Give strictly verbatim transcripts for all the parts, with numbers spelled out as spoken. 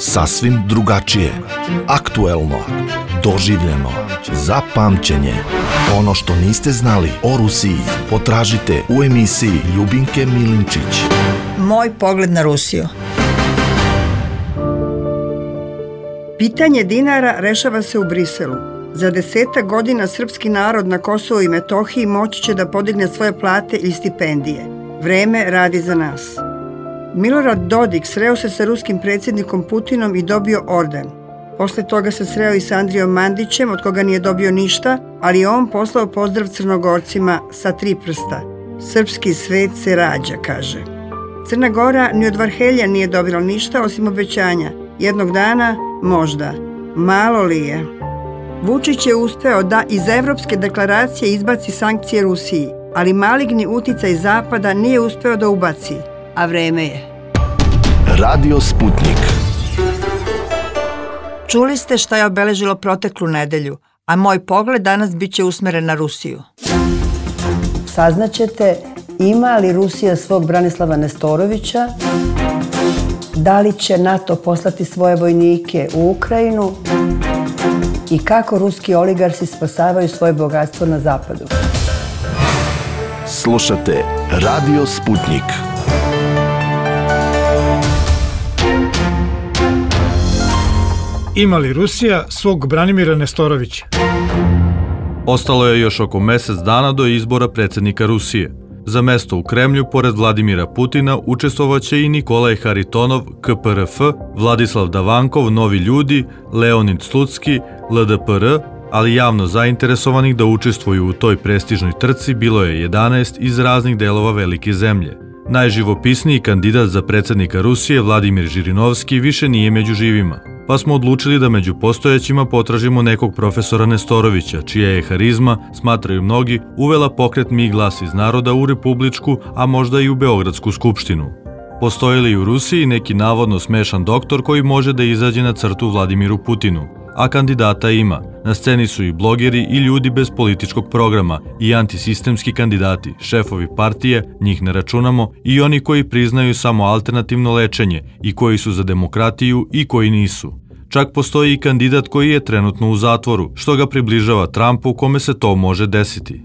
Sasvim drugačije, aktuelno, doživljeno, za pamćenje. Ono što niste znali o Rusiji potražite u emisiji Ljubinke Milinčić. Moj pogled na Rusiju. Pitanje dinara rešava se u Briselu. Za desetak godina srpski narod na Kosovu i Metohiji moći će da podigne svoje plate ili stipendije. Vreme radi za nas. Milorad Dodik sreo se sa ruskim predsjednikom Putinom i dobio orden. Posle toga se sreo i sa Andrijom Mandićem, od koga nije dobio ništa, ali je on poslao pozdrav Crnogorcima sa tri prsta. Srpski svet se rađa, kaže. Crna Gora ni od Varhelja nije dobila ništa osim obećanja. Jednog dana, možda. Malo li je? Vučić je uspeo da iz Evropske deklaracije izbaci sankcije Rusiji, ali maligni uticaj Zapada nije uspeo da ubaci. A vreme je. Radio Sputnik. Čuli ste šta je obeležilo proteklu nedelju, a moj pogled danas bit će usmeren na Rusiju. Saznaćete ima li Rusija svog Branislava Nestorovića, da li će NATO poslati svoje vojnike u Ukrajinu i kako ruski oligarsi spasavaju svoje bogatstvo na zapadu. Slušate Radio Sputnik. Ima li Rusija svog Branimira Nestorovića? Ostalo je još oko mesec dana do izbora predsjednika Rusije. Za mesto u Kremlju, pored Vladimira Putina, učestvovaće i Nikolaj Haritonov, K P R F, Vladislav Davankov, Novi ljudi, Leonid Slutski, L D P R, ali javno zainteresovanih da učestvuju u toj prestižnoj trci bilo je jedanaest iz raznih delova velike zemlje. Najživopisniji kandidat za predsjednika Rusije, Vladimir Žirinovski, više nije među živima, pa smo odlučili da među postojećima potražimo nekog profesora Nestorovića, čija je harizma, smatraju mnogi, uvela pokret Mi glas iz naroda u Republičku, a možda i u Beogradsku skupštinu. Postoji li u Rusiji neki navodno smešan doktor koji može da izađe na crtu Vladimiru Putinu? A kandidata ima. Na sceni su i blogeri i ljudi bez političkog programa i antisistemski kandidati, šefovi partije, njih ne računamo, i oni koji priznaju samo alternativno lečenje i koji su za demokratiju i koji nisu. Čak postoji i kandidat koji je trenutno u zatvoru, što ga približava Trumpu kome se to može desiti.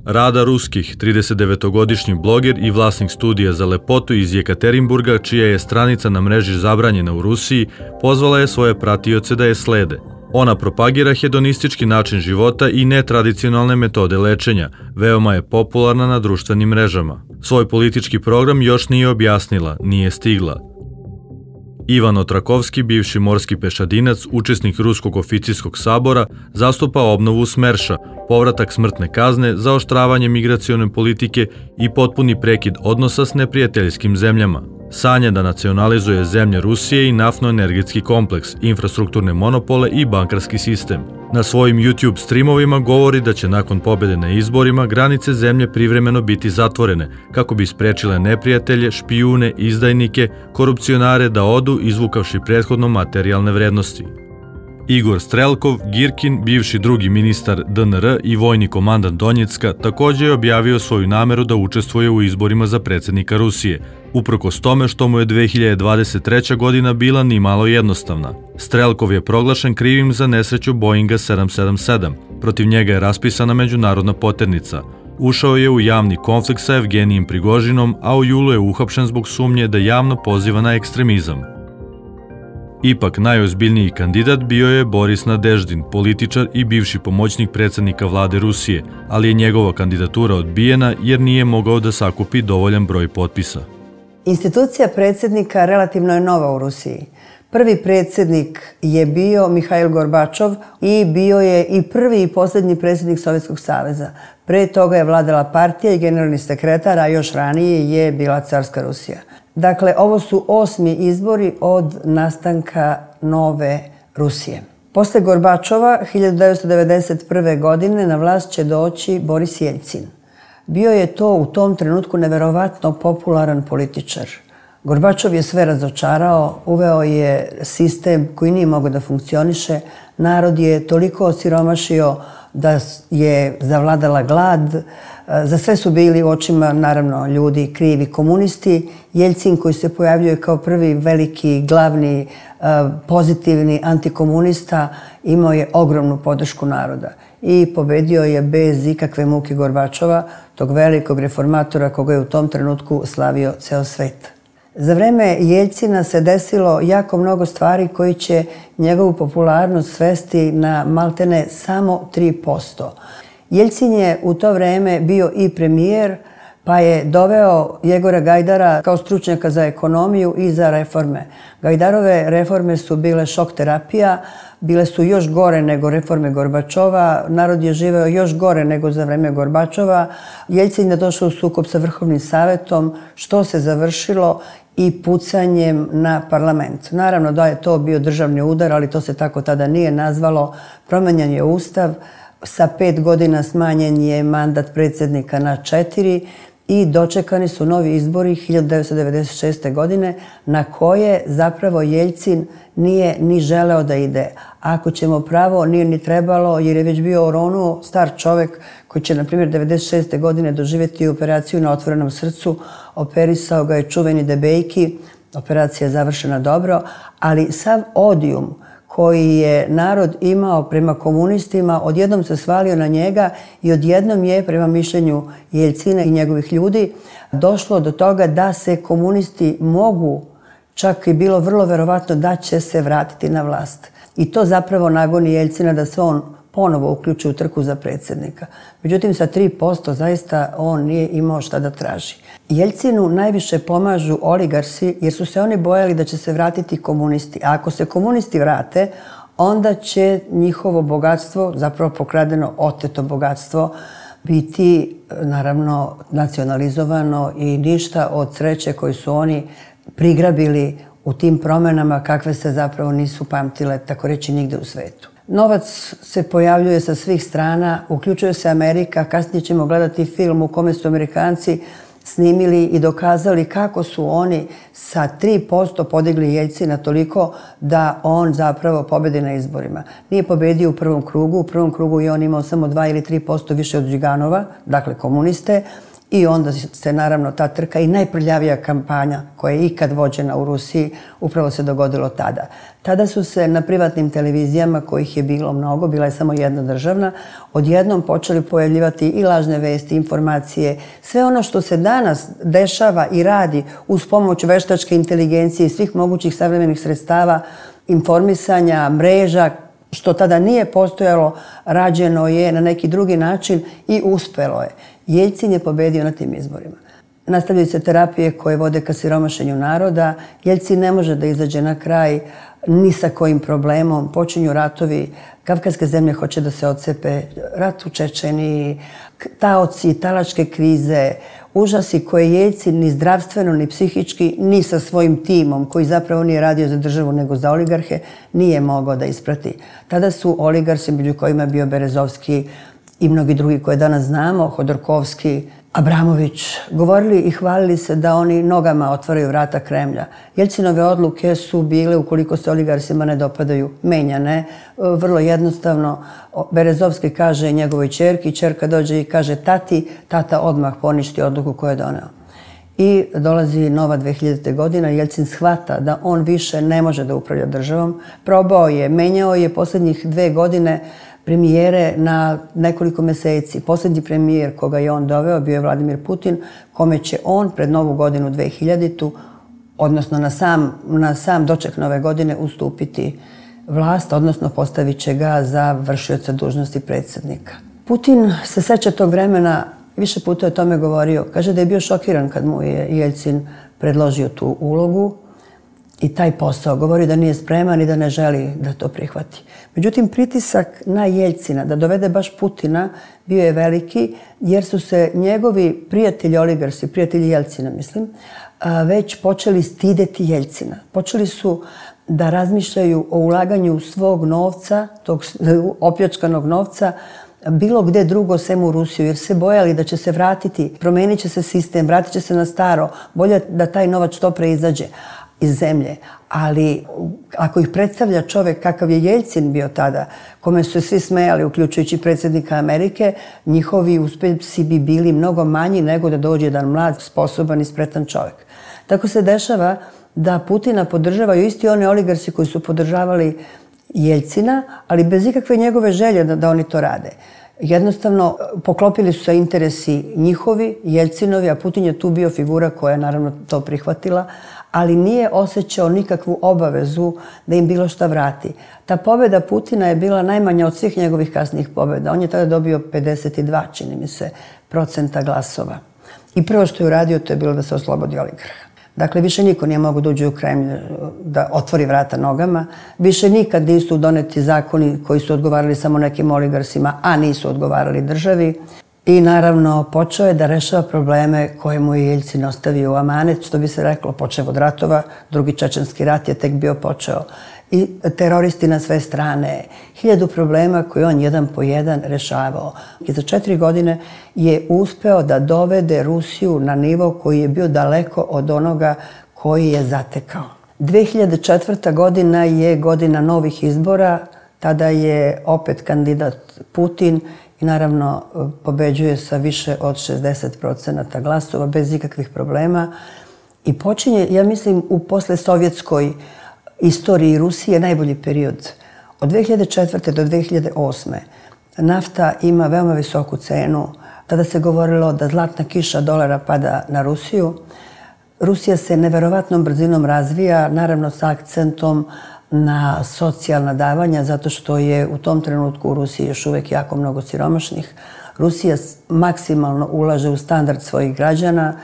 Rada Ruskih, tridesetdevetogodišnji bloger i vlasnik studija za lepotu iz Jekaterinburga, čija je stranica na mreži zabranjena u Rusiji, pozvala je svoje pratioce da je slede. Ona propagira hedonistički način života i netradicionalne metode lečenja, veoma je popularna na društvenim mrežama. Svoj politički program još nije objasnila, nije stigla. Ivan Otrakovski, bivši morski pešadinac, učesnik Ruskog oficirskog sabora, zastupa obnovu Smerša, povratak smrtne kazne, zaoštravanje migracione politike i potpuni prekid odnosa s neprijateljskim zemljama. Sanja da nacionalizuje zemlje Rusije i naftno-energetski kompleks, infrastrukturne monopole i bankarski sistem. Na svojim YouTube streamovima govori da će nakon pobjede na izborima granice zemlje privremeno biti zatvorene, kako bi sprečile neprijatelje, špijune, izdajnike, korupcionare da odu izvukavši prethodno materijalne vrednosti. Igor Strelkov, Girkin, bivši drugi ministar D N R i vojni komandant Donjecka, također je objavio svoju nameru da učestvuje u izborima za predsjednika Rusije, uprkos tome što mu je dve hiljade dvadeset treća godina bila ni malo jednostavna. Strelkov je proglašen krivim za nesreću Boeinga sedam sedam sedam. Protiv njega je raspisana međunarodna poternica. Ušao je u javni konflikt sa Evgenijem Prigožinom, a u julu je uhapšen zbog sumnje da javno poziva na ekstremizam. Ipak najozbiljniji kandidat bio je Boris Nadeždin, političar i bivši pomoćnik predsjednika vlade Rusije, ali je njegova kandidatura odbijena jer nije mogao da sakupi dovoljan broj potpisa. Institucija predsjednika relativno je nova u Rusiji. Prvi predsjednik je bio Mihail Gorbačov i bio je i prvi i posljednji predsjednik Sovjetskog saveza. Pre toga je vladala partija i generalni sekretar, a još ranije je bila carska Rusija. Dakle, ovo su osmi izbori od nastanka nove Rusije. Posle Gorbačova, hiljadu devetsto devedeset prve. godine, na vlast će doći Boris Jeljcin. Bio je to u tom trenutku neverovatno popularan političar. Gorbačov je sve razočarao, uveo je sistem koji nije mogao da funkcioniše. Narod je toliko osiromašio da je zavladala glad. Za sve su bili u očima, naravno, ljudi krivi komunisti. Jeljcin, koji se pojavljuje kao prvi veliki, glavni, pozitivni antikomunista, imao je ogromnu podršku naroda i pobedio je bez ikakve muke Gorbačova, tog velikog reformatora koga je u tom trenutku slavio ceo svet. Za vreme Jeljcina se desilo jako mnogo stvari koji će njegovu popularnost svesti na maltene samo tri posto. Jeljcin je u to vreme bio i premijer, pa je doveo Jegora Gajdara kao stručnjaka za ekonomiju i za reforme. Gajdarove reforme su bile šok terapija, bile su još gore nego reforme Gorbačova, narod je živeo još gore nego za vreme Gorbačova. Jeljcin je došao u sukob sa Vrhovnim savetom, što se završilo i pucanjem na parlament. Naravno da je to bio državni udar, ali to se tako tada nije nazvalo. Promenjen je ustav, sa pet godina smanjen je mandat predsjednika na četiri i dočekani su novi izbori hiljadu devetsto devedeset šeste. godine na koje zapravo Jeljcin nije ni želeo da ide. Ako ćemo pravo, nije ni trebalo jer je već bio oronuo star čovek koji će, na primjer, devedeset šeste. godine doživjeti operaciju na otvorenom srcu. Operisao ga je čuveni Debejki. Operacija je završena dobro, ali sav odijum koji je narod imao prema komunistima, odjednom se svalio na njega i odjednom je, prema mišljenju Jeljcina i njegovih ljudi, došlo do toga da se komunisti mogu, čak i bilo vrlo verovatno da će se vratiti na vlast. I to zapravo nagoni Jeljcina da se on ponovo uključi u trku za predsjednika. Međutim, sa tri posto zaista on nije imao šta da traži. Jeljcinu najviše pomažu oligarsi jer su se oni bojali da će se vratiti komunisti. A ako se komunisti vrate, onda će njihovo bogatstvo, zapravo pokradeno, oteto bogatstvo, biti naravno nacionalizovano i ništa od sreće koju su oni prigrabili u tim promenama kakve se zapravo nisu pamtile, tako reći, nigde u svetu. Novac se pojavljuje sa svih strana, uključuje se Amerika. Kasnije ćemo gledati film u kome su Amerikanci snimili i dokazali kako su oni sa tri posto podigli Jeljcina toliko da on zapravo pobedi na izborima. Nije pobedio u prvom krugu, u prvom krugu je on imao samo dva ili tri posto više od Ziganova, dakle komuniste, i onda se naravno ta trka i najprljavija kampanja koja je ikad vođena u Rusiji upravo se dogodilo tada. Tada su se na privatnim televizijama, kojih je bilo mnogo, bila je samo jedna državna, odjednom počeli pojavljivati i lažne vesti, informacije, sve ono što se danas dešava i radi uz pomoć veštačke inteligencije i svih mogućih savremenih sredstava informisanja, mreža, što tada nije postojalo, rađeno je na neki drugi način i uspelo je. Jeljcin je pobedio na tim izborima. Nastavljaju se terapije koje vode ka siromašenju naroda. Jeljcin ne može da izađe na kraj ni sa kojim problemom. Počinju ratovi, kavkaske zemlje hoće da se odcepe, rat u Čečeniji, taoci, talačke krize, užasi koje Jeljcin ni zdravstveno, ni psihički, ni sa svojim timom, koji zapravo nije radio za državu nego za oligarhe, nije mogao da isprati. Tada su oligarsi, među kojima je bio Berezovski i mnogi drugi koje danas znamo, Hodorkovski, Abramović, govorili i hvalili se da oni nogama otvaraju vrata Kremlja. Jeljcinove odluke su bile, ukoliko se oligarsima ne dopadaju, menjane. Vrlo jednostavno, Berezovski kaže njegovoj ćerki, ćerka dođe i kaže tati, tata odmah poništi odluku koju je doneo. I dolazi nova dve hiljadite. godina, Jeljcin shvata da on više ne može da upravlja državom. Probao je, menjao je posljednjih dve godine premijere na nekoliko meseci. Posljednji premijer koga je on doveo bio je Vladimir Putin, kome će on pred novu godinu dve hiljaditu. odnosno na sam, na sam doček nove godine ustupiti vlast, odnosno postavit će ga za vršioca dužnosti predsjednika. Putin se seća tog vremena, više puta je o tome govorio. Kaže da je bio šokiran kad mu je Jeljcin predložio tu ulogu i taj posao. Govori da nije spreman i da ne želi da to prihvati. Međutim, pritisak na Jeljcina da dovede baš Putina bio je veliki, jer su se njegovi prijatelji oligarsi, prijatelji Jeljcina, mislim, već počeli stideti Jeljcina. Počeli su da razmišljaju o ulaganju svog novca, tog opljačkanog novca, bilo gde drugo sem u Rusiju, jer se bojali da će se vratiti, promenit će se sistem, vratit će se na staro, bolje da taj novac što pre izađe iz zemlje. Ali ako ih predstavlja čovek kakav je Jeljcin bio tada, kome su se svi smejali, uključujući predsjednika Amerike, njihovi uspesi bi bili mnogo manji nego da dođe jedan mlad, sposoban i spretan čovek. Tako se dešava da Putina podržavaju isti oni oligarsi koji su podržavali Jeljcina, ali bez ikakve njegove želje da, da oni to rade. Jednostavno, poklopili su se interesi njihovi, Jeljcinovi, a Putin je tu bio figura koja je naravno to prihvatila, ali nije osjećao nikakvu obavezu da im bilo šta vrati. Ta pobjeda Putina je bila najmanja od svih njegovih kasnijih pobjeda. On je tada dobio pedeset dva, čini mi se, procenta glasova. I prvo što je uradio, to je bilo da se oslobodi oligarha. Dakle, više niko nije mogao da uđe u Kremlj, da otvori vrata nogama. Više nikad nisu doneti zakoni koji su odgovarali samo nekim oligarsima, a nisu odgovarali državi. I naravno, počeo je da rešava probleme koje mu je Jeljcin ostavio u amanet, što bi se reklo, počeo od ratova, drugi čečenski rat je tek bio počeo. I teroristi na sve strane, hiljadu problema koje on jedan po jedan rešavao. I za četiri godine je uspeo da dovede Rusiju na nivo koji je bio daleko od onoga koji je zatekao. dve hiljade četvrta. godina je godina novih izbora, tada je opet kandidat Putin i naravno pobeđuje sa više od šezdeset procenata glasova bez ikakvih problema. I počinje, ja mislim, u poslesovjetskoj istoriji Rusije najbolji period. Od dve hiljade četvrte. do dve hiljade osme. nafta ima veoma visoku cenu. Tada se govorilo da zlatna kiša dolara pada na Rusiju. Rusija se neverovatnom brzinom razvija, naravno sa akcentom na socijalna davanja, zato što je u tom trenutku u Rusiji još uvek jako mnogo siromašnih. Rusija maksimalno ulaže u standard svojih građana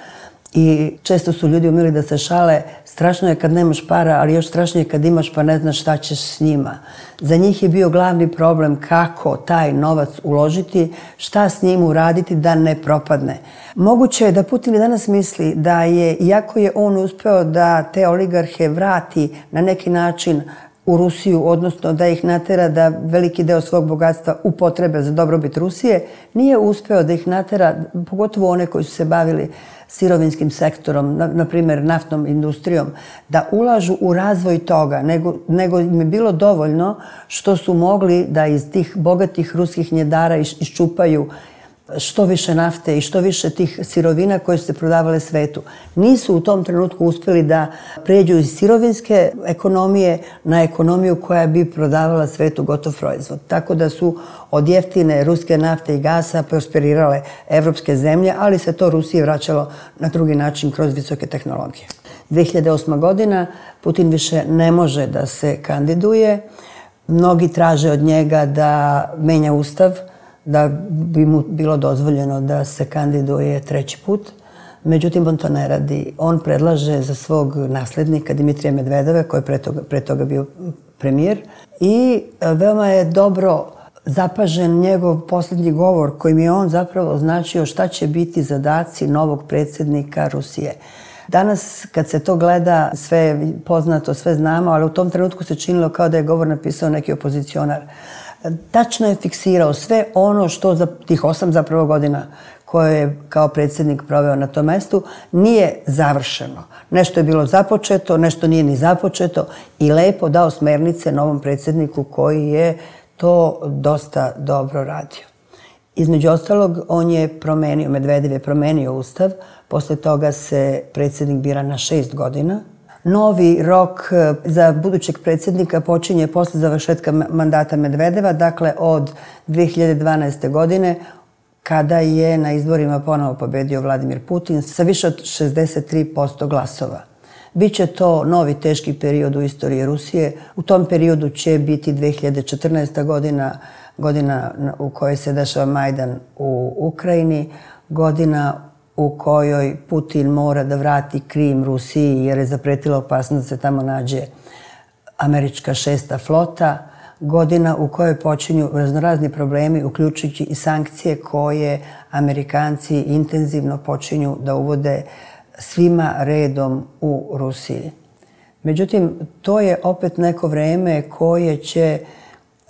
i često su ljudi umeli da se šale. Strašno je kad nemaš para, ali još strašnije kad imaš pa ne znaš šta ćeš s njima. Za njih je bio glavni problem kako taj novac uložiti, šta s njim uraditi da ne propadne. Moguće je da Putin danas misli da je, iako je on uspeo da te oligarhe vrati na neki način u Rusiju, odnosno da ih natera da veliki deo svog bogatstva upotrebe za dobrobit Rusije, nije uspeo da ih natera, pogotovo one koji su se bavili sirovinskim sektorom, na, na primjer naftnom industrijom, da ulažu u razvoj toga, nego, nego im je bilo dovoljno što su mogli da iz tih bogatih ruskih njedara iščupaju što više nafte i što više tih sirovina koje su se prodavale svetu. Nisu u tom trenutku uspjeli da pređu iz sirovinske ekonomije na ekonomiju koja bi prodavala svetu gotov proizvod. Tako da su od jeftine ruske nafte i gasa prosperirale evropske zemlje, ali se to Rusiji vraćalo na drugi način kroz visoke tehnologije. dve hiljade osma. godina Putin više ne može da se kandiduje. Mnogi traže od njega da menja ustav, da bi mu bilo dozvoljeno da se kandiduje treći put. Međutim, on to ne radi. On predlaže za svog naslednika Dimitrija Medvedeva, koji je pre toga, pre toga bio premijer. I veoma je dobro zapažen njegov posljednji govor kojim je on zapravo označio šta će biti zadaci novog predsjednika Rusije. Danas, kad se to gleda, sve je poznato, sve znamo, ali u tom trenutku se činilo kao da je govor napisao neki opozicionar. Tačno je fiksirao sve ono što za tih osam zapravo godina koje je kao predsjednik proveo na tom mestu nije završeno. Nešto je bilo započeto, nešto nije ni započeto i lepo dao smernice novom predsjedniku koji je to dosta dobro radio. Između ostalog, on je promenio, Medvedev je promenio ustav, posle toga se predsjednik bira na šest godina. Novi rok za budućeg predsjednika počinje posle završetka mandata Medvedeva, dakle od dve hiljade dvanaeste. godine, kada je na izborima ponovo pobedio Vladimir Putin sa više od šezdeset tri posto glasova. Biće to novi teški period u istoriji Rusije. U tom periodu će biti dve hiljade četrnaesta. godina, godina u kojoj se dešava Majdan u Ukrajini, godina u kojoj Putin mora da vrati Krim Rusiji jer je zapretila opasnost da se tamo nađe američka šesta flota, godina u kojoj počinju raznorazni problemi, uključujući i sankcije koje Amerikanci intenzivno počinju da uvode svima redom u Rusiji. Međutim, to je opet neko vreme koje će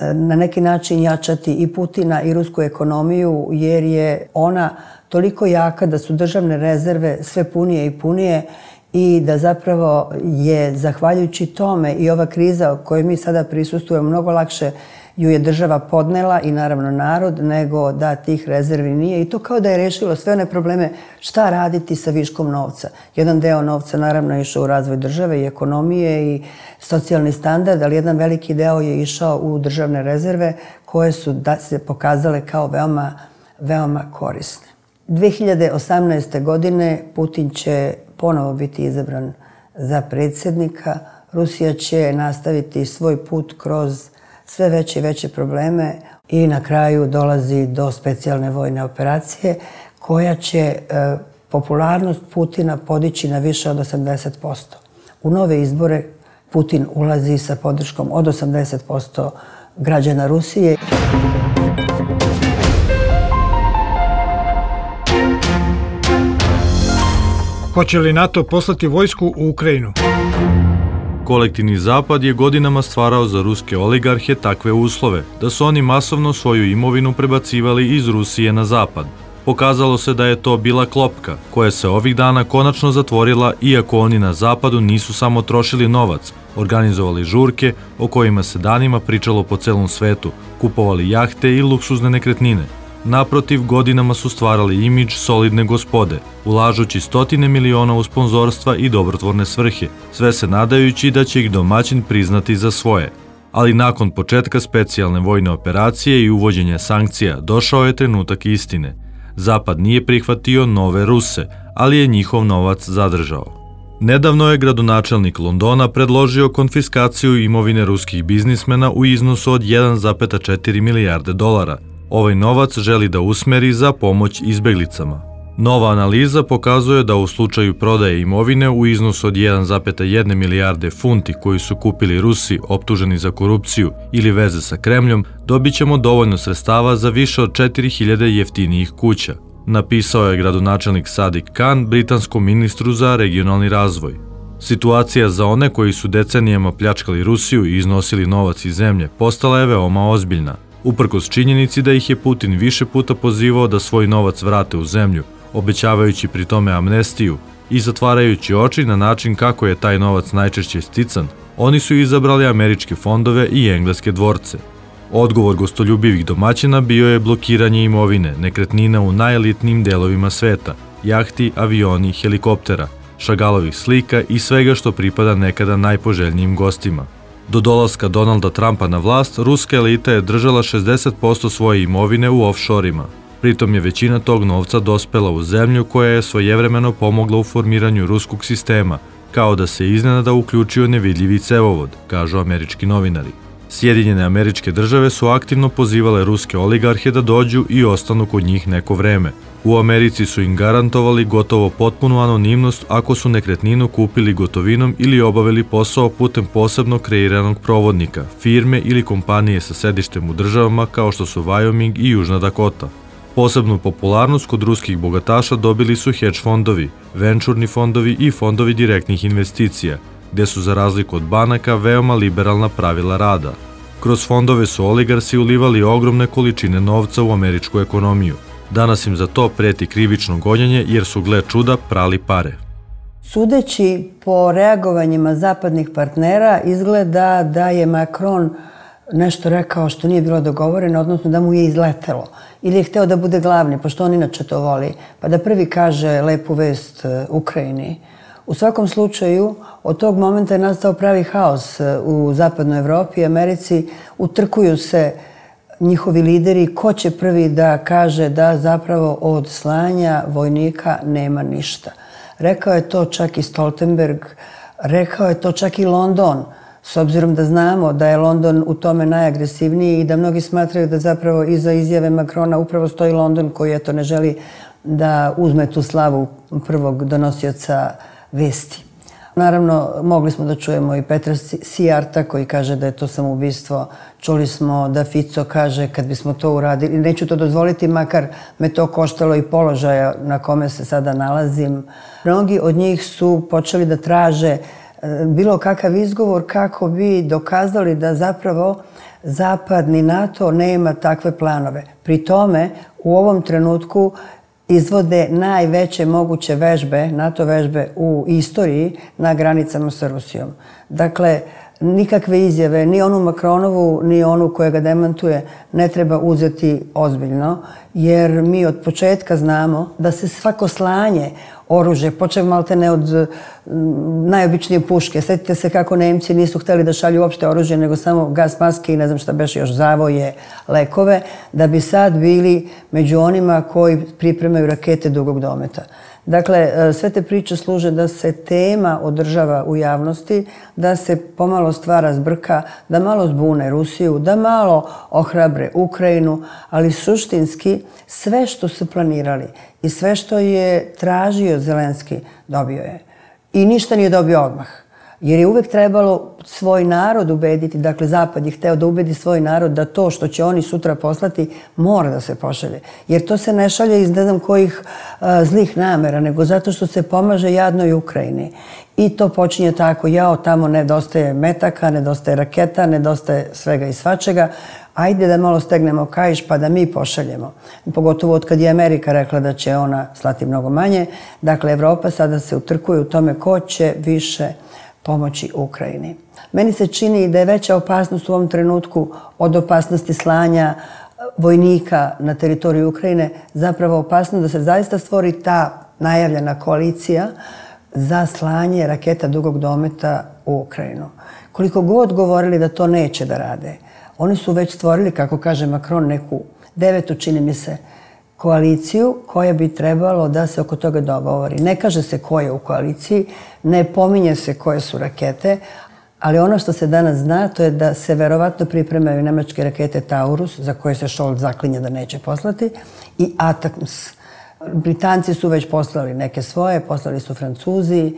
na neki način jačati i Putina i rusku ekonomiju, jer je ona toliko jaka da su državne rezerve sve punije i punije i da zapravo je, zahvaljujući tome, i ova kriza u kojoj mi sada prisustujemo, mnogo lakše ju je država podnela i naravno narod, nego da tih rezervi nije. I to kao da je rešilo sve one probleme šta raditi sa viškom novca. Jedan deo novca naravno je išao u razvoj države i ekonomije i socijalni standard, ali jedan veliki deo je išao u državne rezerve koje su da se pokazale kao veoma, veoma korisne. dve hiljade osamnaeste. godine Putin će ponovo biti izabran za predsjednika. Rusija će nastaviti svoj put kroz sve veće i veće probleme i na kraju dolazi do specijalne vojne operacije koja će e, popularnost Putina podići na više od osamdeset posto. U nove izbore Putin ulazi sa podrškom od osamdeset posto građana Rusije. Hoće li NATO poslati vojsku u Ukrajinu? Kolektivni zapad je godinama stvarao za ruske oligarhe takve uslove, da su oni masovno svoju imovinu prebacivali iz Rusije na zapad. Pokazalo se da je to bila klopka, koja se ovih dana konačno zatvorila, iako oni na zapadu nisu samo trošili novac, organizovali žurke o kojima se danima pričalo po celom svetu, kupovali jahte i luksuzne nekretnine. Naprotiv, godinama su stvarali imidž solidne gospode, ulažući stotine miliona u sponzorstva i dobrotvorne svrhe, sve se nadajući da će ih domaćin priznati za svoje. Ali nakon početka specijalne vojne operacije i uvođenja sankcija došao je trenutak istine. Zapad nije prihvatio nove Ruse, ali je njihov novac zadržao. Nedavno je gradonačelnik Londona predložio konfiskaciju imovine ruskih biznismena u iznosu od jedan zarez četiri milijarde dolara. Ovaj novac želi da usmeri za pomoć izbeglicama. Nova analiza pokazuje da u slučaju prodaje imovine u iznosu od jedan zarez jedna milijarde funti koju su kupili Rusi optuženi za korupciju ili veze sa Kremljom, dobit ćemo dovoljno sredstava za više od četiri hiljade jeftinijih kuća, napisao je gradonačelnik Sadiq Khan britanskom ministru za regionalni razvoj. Situacija za one koji su decenijama pljačkali Rusiju i iznosili novac iz zemlje postala je veoma ozbiljna. Uprkos činjenici da ih je Putin više puta pozivao da svoj novac vrate u zemlju, obećavajući pri tome amnestiju i zatvarajući oči na način kako je taj novac najčešće stican, oni su izabrali američke fondove i engleske dvorce. Odgovor gostoljubivih domaćina bio je blokiranje imovine, nekretnina u najelitnijim delovima sveta, jahti, avioni, helikoptera, šagalovih slika i svega što pripada nekada najpoželjnijim gostima. Do dolaska Donalda Trumpa na vlast, ruska elita je držala šezdeset posto svoje imovine u offshore-ima. Pritom je većina tog novca dospela u zemlju koja je svojevremeno pomogla u formiranju ruskog sistema, kao da se iznenada uključio nevidljivi cevovod, kažu američki novinari. Sjedinjene Američke Države su aktivno pozivale ruske oligarhe da dođu i ostanu kod njih neko vreme. U Americi su im garantovali gotovo potpunu anonimnost ako su nekretninu kupili gotovinom ili obavili posao putem posebno kreiranog provodnika, firme ili kompanije sa sedištem u državama kao što su Wyoming i Južna Dakota. Posebnu popularnost kod ruskih bogataša dobili su hedge fondovi, venčurni fondovi i fondovi direktnih investicija, gde su za razliku od banaka veoma liberalna pravila rada. Kroz fondove su oligarsi ulivali ogromne količine novca u američku ekonomiju. Danas im za to preti krivično gonjenje jer su, gle čuda, prali pare. Sudeći po reagovanjima zapadnih partnera, izgleda da je Macron nešto rekao što nije bilo dogovoreno, odnosno da mu je izletelo. Ili je hteo da bude glavni, pošto on inače to voli, pa da prvi kaže lepu vest Ukrajini. U svakom slučaju, od tog momenta je nastao pravi haos u zapadnoj Evropi i Americi. Utrkuju se njihovi lideri ko će prvi da kaže da zapravo od slanja vojnika nema ništa. Rekao je to čak i Stoltenberg, rekao je to čak i London, s obzirom da znamo da je London u tome najagresivniji i da mnogi smatraju da zapravo iza izjave Macrona upravo stoji London koji eto ne želi da uzme tu slavu prvog donosioca vesti. Naravno, mogli smo da čujemo i Petra Sijarta koji kaže da je to samoubistvo. Čuli smo da Fico kaže kad bismo to uradili, neću to dozvoliti, makar me to koštalo i položaja na kome se sada nalazim. Mnogi od njih su počeli da traže bilo kakav izgovor kako bi dokazali da zapravo zapadni NATO nema takve planove. Pri tome u ovom trenutku izvode najveće moguće vežbe, NATO vežbe u istoriji na granicama sa Rusijom. Dakle, nikakve izjave, ni onu Macronovu, ni onu koja ga demantuje, ne treba uzeti ozbiljno, jer mi od početka znamo da se svako slanje oružje, počeo malte ne od najobičnije puške. Sjetite se kako Nemci nisu htjeli da šalju uopšte oružje, nego samo gas maske i ne znam šta beše još, zavoje, lekove, da bi sad bili među onima koji pripremaju rakete dugog dometa. Dakle, sve te priče služe da se tema održava u javnosti, da se pomalo stvara zbrka, da malo zbune Rusiju, da malo ohrabre Ukrajinu, ali suštinski sve što su planirali i sve što je tražio Zelenski dobio je. I ništa nije dobio odmah. Jer je uvek trebalo svoj narod ubediti, dakle Zapad je hteo da ubedi svoj narod da to što će oni sutra poslati mora da se pošalje. Jer to se ne šalje iz ne znam kojih a, zlih namera, nego zato što se pomaže jadnoj Ukrajini. I to počinje tako, jao, tamo nedostaje metaka, nedostaje raketa, nedostaje svega i svačega. Ajde da malo stegnemo kaiš pa da mi pošaljemo. Pogotovo od kad je Amerika rekla da će ona slati mnogo manje. Dakle, Evropa sada se utrkuje u tome ko će više pomoći Ukrajini. Meni se čini da je veća opasnost u ovom trenutku od opasnosti slanja vojnika na teritoriju Ukrajine zapravo opasno da se zaista stvori ta najavljena koalicija za slanje raketa dugog dometa u Ukrajinu. Koliko god govorili da to neće da rade, oni su već stvorili, kako kaže Macron, neku devetu, čini mi se, koaliciju koja bi trebalo da se oko toga dogovori. Ne kaže se ko je u koaliciji, ne pominje se koje su rakete, ali ono što se danas zna to je da se verovatno pripremaju nemačke rakete Taurus, za koje se Scholz zaklinje da neće poslati, i ATACMS. Britanci su već poslali neke svoje, poslali su Francuzi.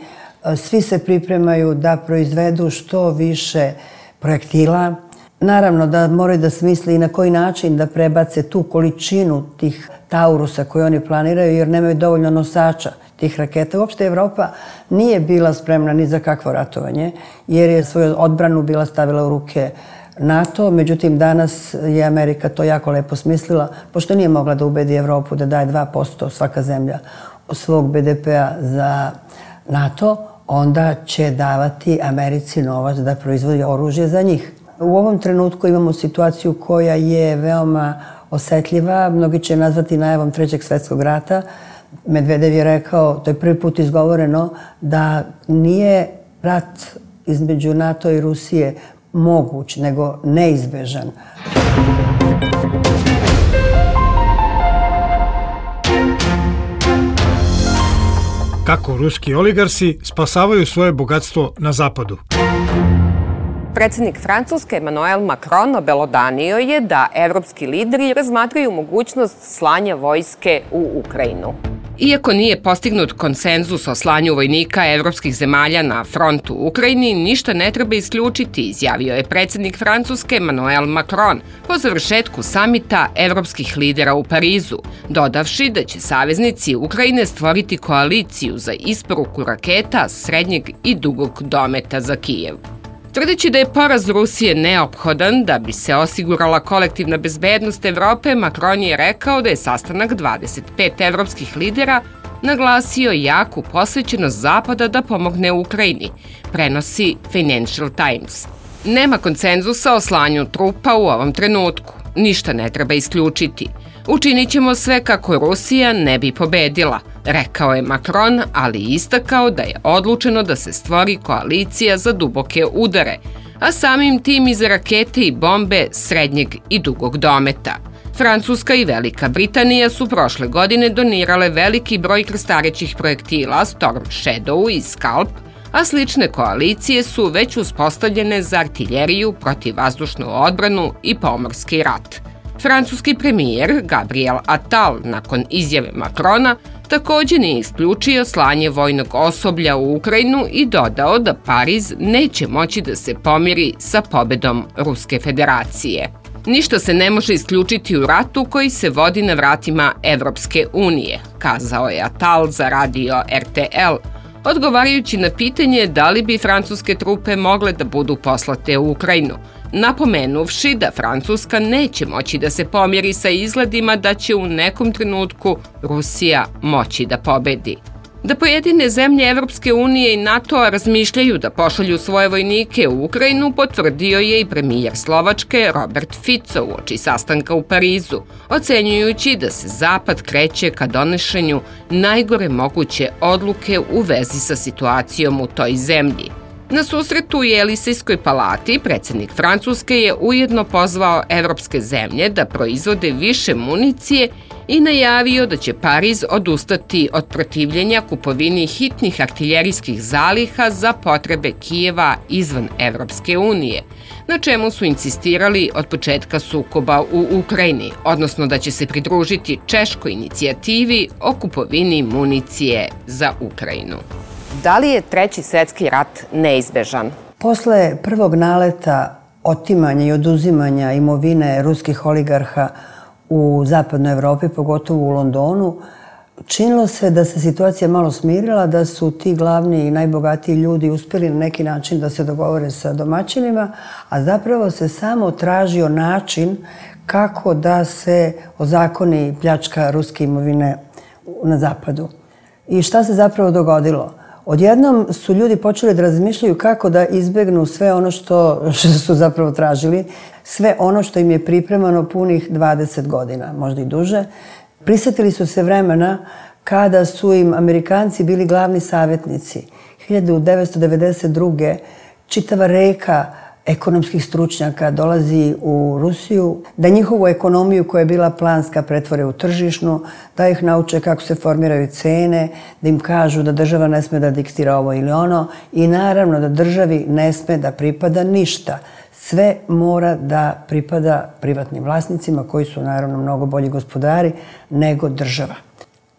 Svi se pripremaju da proizvedu što više projektila. Naravno da moraju da smisli i na koji način da prebace tu količinu tih Taurusa koje oni planiraju, jer nemaju dovoljno nosača tih raketa. Uopšte Evropa nije bila spremna ni za kakvo ratovanje, jer je svoju odbranu bila stavila u ruke NATO. Međutim, danas je Amerika to jako lepo smislila, pošto nije mogla da ubedi Evropu da daje dva posto svaka zemlja svog be de pe a za NATO, onda će davati Americi novac da proizvodi oružje za njih. U ovom trenutku imamo situaciju koja je veoma osetljiva. Mnogi će nazvati najavom trećeg svjetskog rata. Medvedev je rekao, to je prvi put izgovoreno, da nije rat između NATO i Rusije moguć, nego neizbežan. Kako ruski oligarsi spasavaju svoje bogatstvo na zapadu? Predsjednik Francuske Emmanuel Macron obelodanio je da evropski lideri razmatraju mogućnost slanja vojske u Ukrajinu. Iako nije postignut konsenzus o slanju vojnika evropskih zemalja na front u Ukrajini, ništa ne treba isključiti, izjavio je predsjednik Francuske Emmanuel Macron po završetku samita evropskih lidera u Parizu, dodavši da će saveznici Ukrajine stvoriti koaliciju za isporuku raketa srednjeg i dugog dometa za Kijev. Tvrdeći da je poraz Rusije neophodan da bi se osigurala kolektivna bezbednost Evrope, Macron je rekao da je sastanak dvadeset pet evropskih lidera naglasio jaku posvećenost Zapada da pomogne Ukrajini, prenosi Financial Times. Nema konsenzusa o slanju trupa u ovom trenutku. Ništa ne treba isključiti. Učinit ćemo sve kako Rusija ne bi pobedila, rekao je Macron, ali istakao da je odlučeno da se stvori koalicija za duboke udare, a samim tim i za rakete i bombe srednjeg i dugog dometa. Francuska i Velika Britanija su prošle godine donirale veliki broj krstarećih projektila Storm Shadow i Scalp, a slične koalicije su već uspostavljene za artiljeriju, protivvazdušnu odbranu i pomorski rat. Francuski premijer Gabriel Attal, nakon izjave Macrona, također nije isključio slanje vojnog osoblja u Ukrajinu i dodao da Pariz neće moći da se pomiri sa pobedom Ruske federacije. Ništa se ne može isključiti u ratu koji se vodi na vratima Evropske unije, kazao je Attal za radio er te el, odgovarajući na pitanje da li bi francuske trupe mogle da budu poslate u Ukrajinu, napomenuvši da Francuska neće moći da se pomjeri sa izgledima da će u nekom trenutku Rusija moći da pobedi. Da pojedine zemlje Evropske unije i NATO razmišljaju da pošalju svoje vojnike u Ukrajinu potvrdio je i premijer Slovačke Robert Fico uoči sastanka u Parizu, ocenjujući da se Zapad kreće ka donošenju najgore moguće odluke u vezi sa situacijom u toj zemlji. Na susretu u Jelisejskoj palati predsjednik Francuske je ujedno pozvao evropske zemlje da proizvode više municije i najavio da će Pariz odustati od protivljenja kupovini hitnih artiljerijskih zaliha za potrebe Kijeva izvan Evropske unije, na čemu su insistirali od početka sukoba u Ukrajini, odnosno da će se pridružiti češkoj inicijativi o kupovini municije za Ukrajinu. Da li je Treći svjetski rat neizbežan? Posle prvog naleta otimanja i oduzimanja imovine ruskih oligarha u zapadnoj Evropi, pogotovo u Londonu, činilo se da se situacija malo smirila, da su ti glavni i najbogatiji ljudi uspjeli na neki način da se dogovore sa domaćinima, a zapravo se samo tražio način kako da se ozakoni pljačka ruske imovine na zapadu. I šta se zapravo dogodilo? Odjednom su ljudi počeli da razmišljaju kako da izbegnu sve ono što, što su zapravo tražili, sve ono što im je pripremano punih dvadeset godina, možda i duže. Prisjetili su se vremena kada su im Amerikanci bili glavni savjetnici. hiljadu devetsto devedeset druge čitava reka ekonomskih stručnjaka dolazi u Rusiju, da njihovu ekonomiju koja je bila planska pretvore u tržišnu, da ih nauče kako se formiraju cene, da im kažu da država ne sme da diktira ovo ili ono i naravno da državi ne sme da pripada ništa. Sve mora da pripada privatnim vlasnicima koji su naravno mnogo bolji gospodari nego država.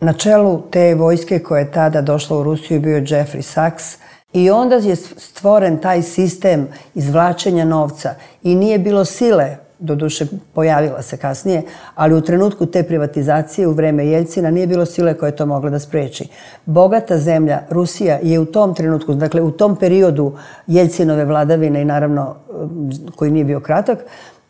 Na čelu te vojske koja je tada došla u Rusiju bio je Jeffrey Sachs, i onda je stvoren taj sistem izvlačenja novca i nije bilo sile, doduše pojavila se kasnije, ali u trenutku te privatizacije u vreme Jeljcina nije bilo sile koja je to mogla da spreči. Bogata zemlja, Rusija, je u tom trenutku, dakle u tom periodu Jeljcinove vladavine i naravno koji nije bio kratak,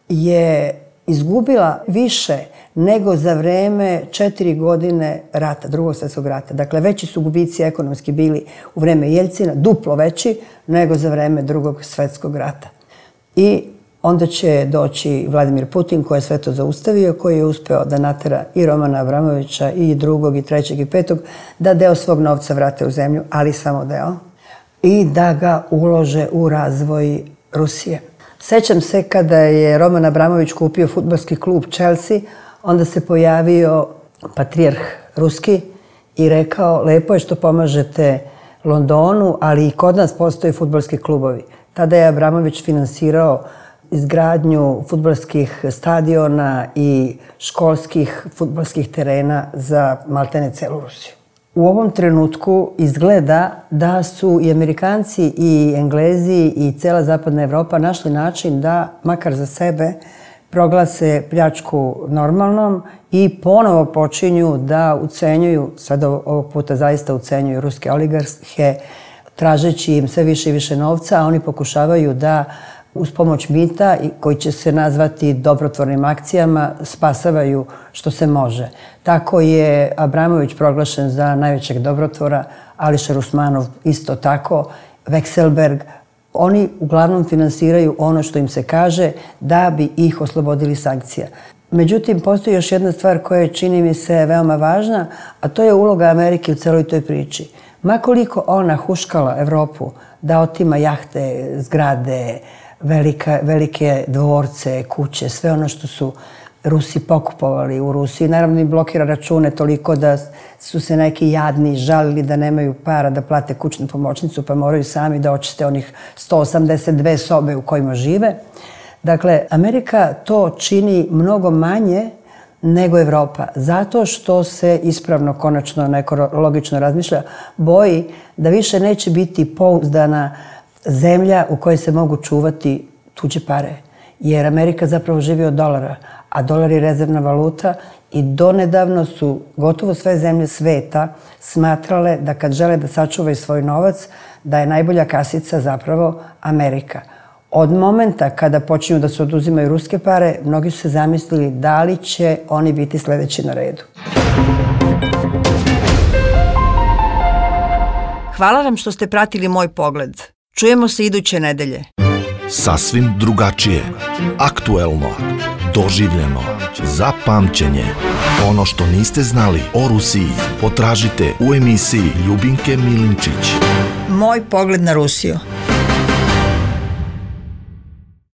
je izgubila više nego za vreme četiri godine rata, drugog svjetskog rata. Dakle, veći su gubici ekonomski bili u vreme Jeljcina, duplo veći nego za vreme drugog svjetskog rata. I onda će doći Vladimir Putin koji je sve to zaustavio, koji je uspeo da natera i Romana Abramovića i drugog i trećeg i petog da deo svog novca vrate u zemlju, ali samo deo, i da ga ulože u razvoj Rusije. Sećam se kada je Roman Abramović kupio fudbalski klub Chelsea, onda se pojavio patrijarh ruski i rekao lepo je što pomažete Londonu, ali i kod nas postoje fudbalski klubovi. Tada je Abramović finansirao izgradnju fudbalskih stadiona i školskih fudbalskih terena za maltene celu Rusiju. U ovom trenutku izgleda da su i Amerikanci i Englezi i cela zapadna Evropa našli način da, makar za sebe, proglase pljačku normalnom i ponovo počinju da ucenjuju, sad ovog puta zaista ucenjuju ruske oligarhe, tražeći im sve više i više novca, a oni pokušavaju da uz pomoć mita, koji će se nazvati dobrotvornim akcijama, spasavaju što se može. Tako je Abramović proglašen za najvećeg dobrotvora, Ališer Usmanov isto tako, Vekselberg. Oni uglavnom finansiraju ono što im se kaže da bi ih oslobodili sankcija. Međutim, postoji još jedna stvar koja je, čini mi se, veoma važna, a to je uloga Amerike u celoj toj priči. Ma koliko ona huškala Evropu da otima jahte, zgrade, velika, velike dvorce, kuće, sve ono što su Rusi pokupovali u Rusiji. Naravno im blokira račune toliko da su se neki jadni žalili da nemaju para da plate kućnu pomoćnicu, pa moraju sami da očiste onih sto osamdeset dve sobe u kojima žive. Dakle, Amerika to čini mnogo manje nego Evropa, zato što se ispravno, konačno, neko logično razmišlja, boji da više neće biti pouzdana zemlja u kojoj se mogu čuvati tuđe pare. Jer Amerika zapravo živi od dolara, a dolar je rezervna valuta I donedavno su gotovo sve zemlje sveta smatrale da kad žele da sačuvaju svoj novac, da je najbolja kasica zapravo Amerika. Od momenta kada počinju da se oduzimaju ruske pare, mnogi su se zamislili da li će oni biti sledeći na redu. Hvala vam što ste pratili Moj pogled. Čujemo se iduće nedelje. Sasvim drugačije, aktuelno, doživljeno, za pamćenje. Ono što niste znali o Rusiji potražite u emisiji Ljubinke Milinčić. Moj pogled na Rusiju.